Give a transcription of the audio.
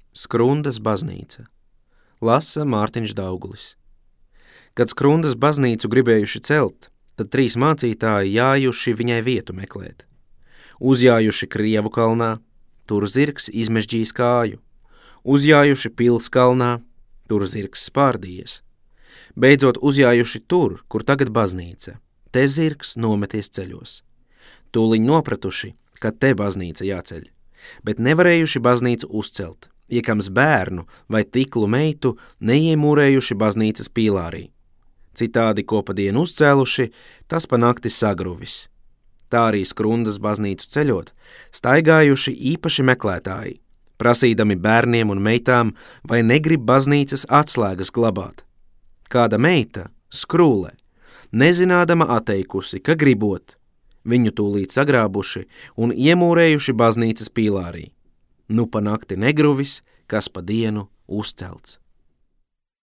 Skrundas baznīca. Lasa Mārtiņš Daugulis. Kad Skrundas baznīcu gribējuši celt, tad 3 mācītāji jājuši viņai vietu meklēt. Uzjājuši Krievu kalnā, tur zirgs izmežģījis kāju. Uzjājuši Pils kalnā, tur zirgs spārdījies. Beidzot uzjājuši tur, kur tagad baznīca. Te zirgs nometies ceļos. Tūliņ nopratuši, ka te baznīca jāceļ, bet nevarējuši baznīcu uzcelt, iekams bērnu vai tiklu meitu neiemūrējuši baznīcas pīlārī. Citādi, ko pa dienu uzcēluši, tas pa nakti sagruvis. Tā arī Skrundas baznīcu ceļot, staigājuši īpaši meklētāji, prasīdami bērniem un meitām, vai negrib baznīcas atslēgas glabāt. Kāda meita, Skrūle, nezinādama atteikusi, ka gribot, viņu tūlīt sagrābuši un iemūrējuši baznīcas pīlārī. Nu pa nakti negruvis, kas pa dienu uzcelts.